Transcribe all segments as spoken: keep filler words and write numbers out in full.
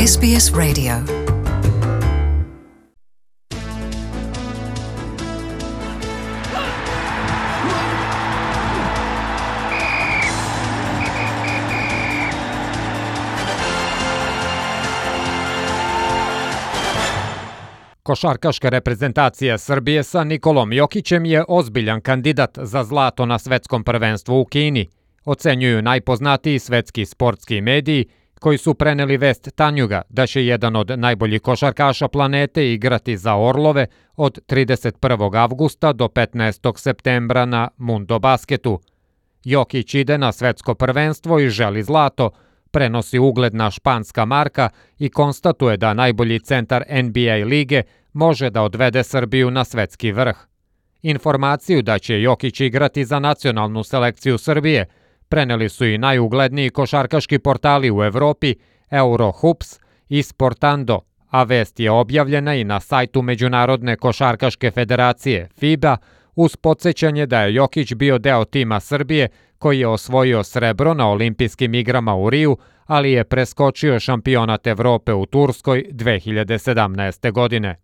S B S Radio. Košarkaška reprezentacija Srbije sa Nikolom Jokićem je ozbiljan kandidat za zlato na svetskom prvenstvu u Kini, ocenjuju najpoznatiji svetski sportski mediji koji su preneli vest Tanjuga da će jedan od najboljih košarkaša planete igrati za Orlove od trideset prvog avgusta do petnaestog septembra na Mundo Basketu. Jokić ide na svetsko prvenstvo i želi zlato, prenosi ugledna španska marka i konstatuje da najbolji centar N B A lige može da odvede Srbiju na svetski vrh. Informaciju da će Jokić igrati za nacionalnu selekciju Srbije preneli su i najugledniji košarkaški portali u Evropi, Eurohoops i Sportando, a vest je objavljena i na sajtu Međunarodne košarkaške federacije FIBA uz podsjećanje da je Jokić bio deo tima Srbije koji je osvojio srebro na olimpijskim igrama u Riju, ali je preskočio šampionat Evrope u Turskoj dve hiljade sedamnaeste. godine.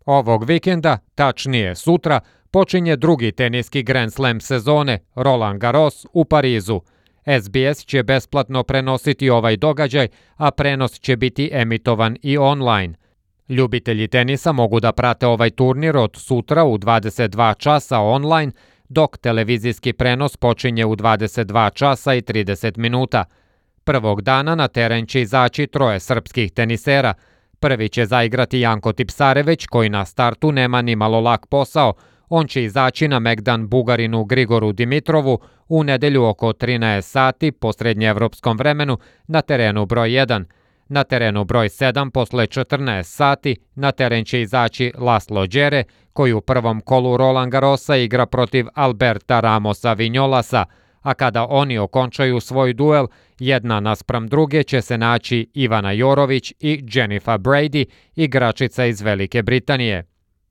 Ovog vikenda, tačnije sutra, počinje drugi teniski Grand Slam sezone, Roland Garros u Parizu. S B S će besplatno prenositi ovaj događaj, a prenos će biti emitovan i online. Ljubitelji tenisa mogu da prate ovaj turnir od sutra u dvadeset dva časa online, dok televizijski prenos počinje u dvadeset dva časa i trideset minuta. Prvog dana na teren će izaći troje srpskih tenisera. Prvi će zaigrati Janko Tipsareveć, koji na startu nema ni malo lak posao. On će izaći na megdan Bugarinu Grigoru Dimitrovu u nedelju oko trinaest sati po srednjeevropskom vremenu na terenu broj jedan. Na terenu broj sedam posle četrnaest sati na teren će izaći Laslo Đere, koji u prvom kolu Roland Garrosa igra protiv Alberta Ramosa Vinjolasa, a kada oni okončaju svoj duel, jedna naspram druge će se naći Ivana Jorović i Jennifer Brady, igračica iz Velike Britanije.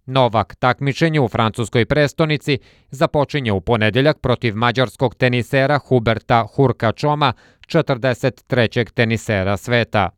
Novak takmičenje u francuskoj prestonici započinje u ponedeljak protiv mađarskog tenisera Huberta Hurkačoma, četrdeset trećeg tenisera sveta.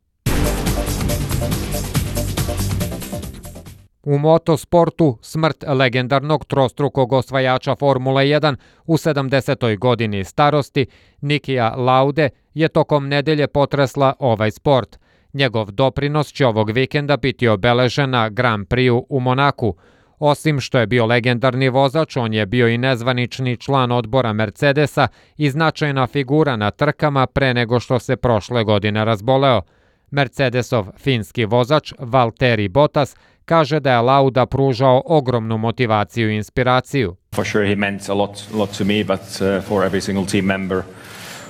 U motosportu smrt legendarnog trostrukog osvajača Formule jedan u sedamdesetoj godini starosti Nikija Laude je tokom nedelje potresla ovaj sport. Njegov doprinos će ovog vikenda biti obeležen na Grand Prix u Monaku. Osim što je bio legendarni vozač, on je bio i nezvanični član odbora Mercedesa i značajna figura na trkama pre nego što se prošle godine razboleo. Mercedesov finski vozač Valtteri Bottas kaže da je Lauda pružao ogromnu motivaciju i inspiraciju. For sure he meant a lot, lot to me, but uh, for every single team member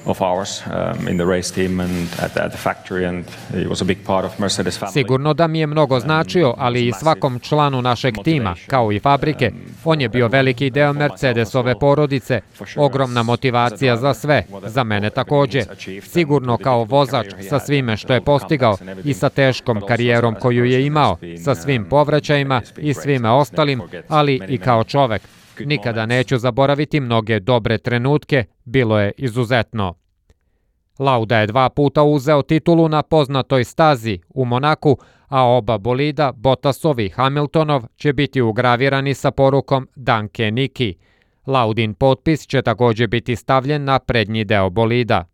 of ours um, in the race team and at, at the factory, and he was a big part of Mercedes family. Sigurno da mi je mnogo značio, ali i svakom članu našeg tima, kao i fabrike. On je bio veliki deo Mercedesove porodice. Ogromna motivacija za sve, za mene takođe. Sigurno kao vozač sa svime što je postigao i sa teškom karijerom koju je imao, sa svim povraćajima i svime ostalim, ali i kao čovek. Nikada neću zaboraviti mnoge dobre trenutke, bilo je izuzetno. Lauda je dva puta uzeo titulu na poznatoj stazi u Monaku, a oba bolida, Bottasov i Hamiltonov, će biti ugravirani sa porukom Danke Niki. Laudin potpis će takođe biti stavljen na prednji deo bolida.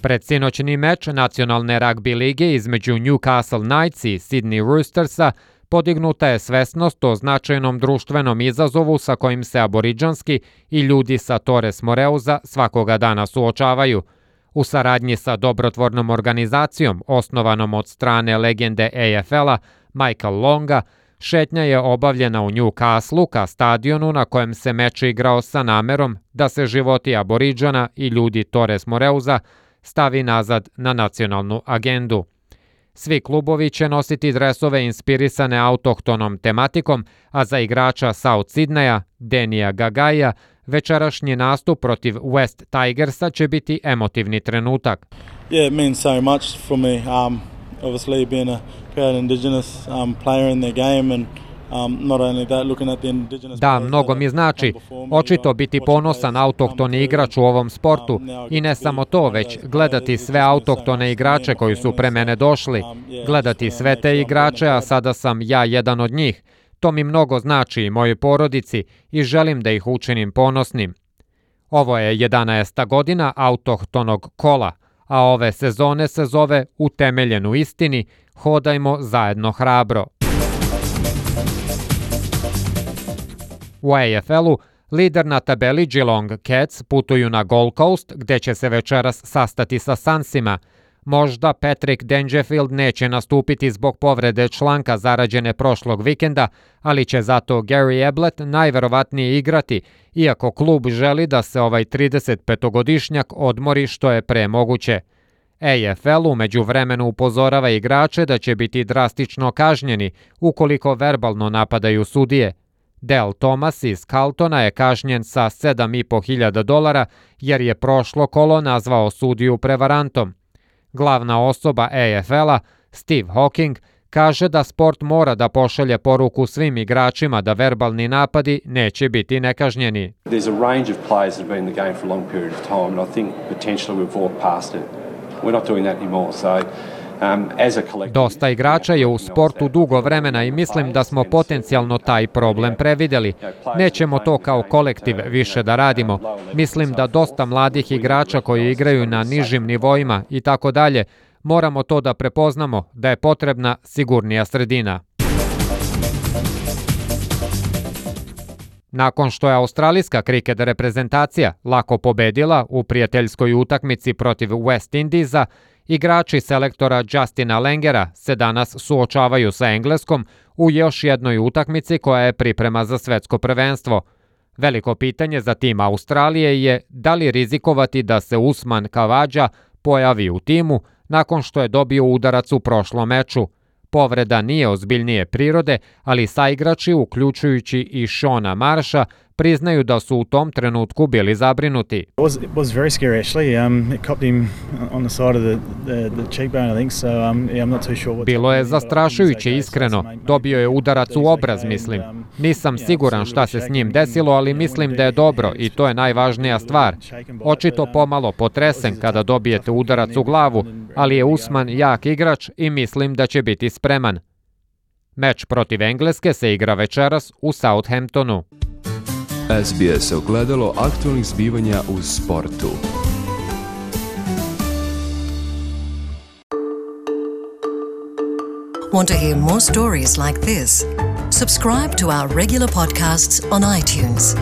Predsinoćni meč nacionalne ragbi lige između Newcastle Knights i Sydney Roostersa podignuta je svesnost o značajnom društvenom izazovu sa kojim se aboridžanski i ljudi sa Torres Moreuza svakoga dana suočavaju. U saradnji sa dobrotvornom organizacijom, osnovanom od strane legende A F L-a Michael Longa, šetnja je obavljena u Newcastle ka stadionu na kojem se meč igrao sa namerom da se životi aboridžana i ljudi Torres Moreuza stavi nazad na nacionalnu agendu. Svi klubovi će nositi dresove inspirisane autohtonom tematikom, a za igrača South Sydneya, Denija Gagaija, večerašnji nastup protiv West Tigersa će biti emotivni trenutak. Yeah, it means so much for me. Um, obviously being a proud Indigenous um, player in their game and Da, mnogo mi znači. Očito biti ponosan autohtoni igrač u ovom sportu i ne samo to, već gledati sve autohtone igrače koji su pre mene došli, gledati sve te igrače, a sada sam ja jedan od njih. To mi mnogo znači i mojoj porodici i želim da ih učinim ponosnim. Ovo je jedanaesta godina autohtonog kola, a ove sezone se zove Utemeljen u istini, hodajmo zajedno hrabro. U A F L-u lider na tabeli Geelong Cats putuju na Gold Coast, gde će se večeras sastati sa Sunsima. Možda Patrick Dangerfield neće nastupiti zbog povrede članka zarađene prošlog vikenda, ali će zato Gary Ablett najverovatnije igrati, iako klub želi da se ovaj tridesetpetogodišnjak odmori što je pre moguće. A F L u međuvremenu upozorava igrače da će biti drastično kažnjeni ukoliko verbalno napadaju sudije. Del Thomas iz Carltona je kažnjen sa sedam i po hiljada dolara jer je prošlo kolo nazvao sudiju prevarantom. Glavna osoba A F L-a, Steve Hawking, kaže da sport mora da pošalje poruku svim igračima da verbalni napadi neće biti nekažnjeni. There's a range of players that have been in the game for a long period of time and I think potentially we've walked past it. We're not doing that anymore, so Dosta igrača je u sportu dugo vremena i mislim da smo potencijalno taj problem prevideli. Nećemo to kao kolektiv više da radimo. Mislim da dosta mladih igrača koji igraju na nižim nivoima i tako dalje, moramo to da prepoznamo, da je potrebna sigurnija sredina. Nakon što je australijska kriket reprezentacija lako pobedila u prijateljskoj utakmici protiv West Indiesa, igrači selektora Justina Langera se danas suočavaju sa Engleskom u još jednoj utakmici koja je priprema za svetsko prvenstvo. Veliko pitanje za tim Australije je da li rizikovati da se Usman Khawaja pojavi u timu nakon što je dobio udarac u prošlom meču. Povreda nije ozbiljnije prirode, ali saigrači, uključujući i Shona Marsha, priznaju da su u tom trenutku bili zabrinuti. It was, it was very scary actually. Um, it copped him on the side of the, the, the cheekbone, I think. So um, yeah, I'm not too sure what. Bilo je zastrašujuće, iskreno. Dobio je udarac u obraz, mislim. Nisam siguran šta se s njim desilo, ali mislim da je dobro i to je najvažnija stvar. Očito pomalo potresen kada dobijete udarac u glavu, ali je Usman jak igrač i mislim da će biti spreman. Meč protiv Engleske se igra večeras u Southamptonu. S B S ogledalo aktualnih zbivanja u sportu. Want to hear more stories like this? Subscribe to our regular podcasts on iTunes.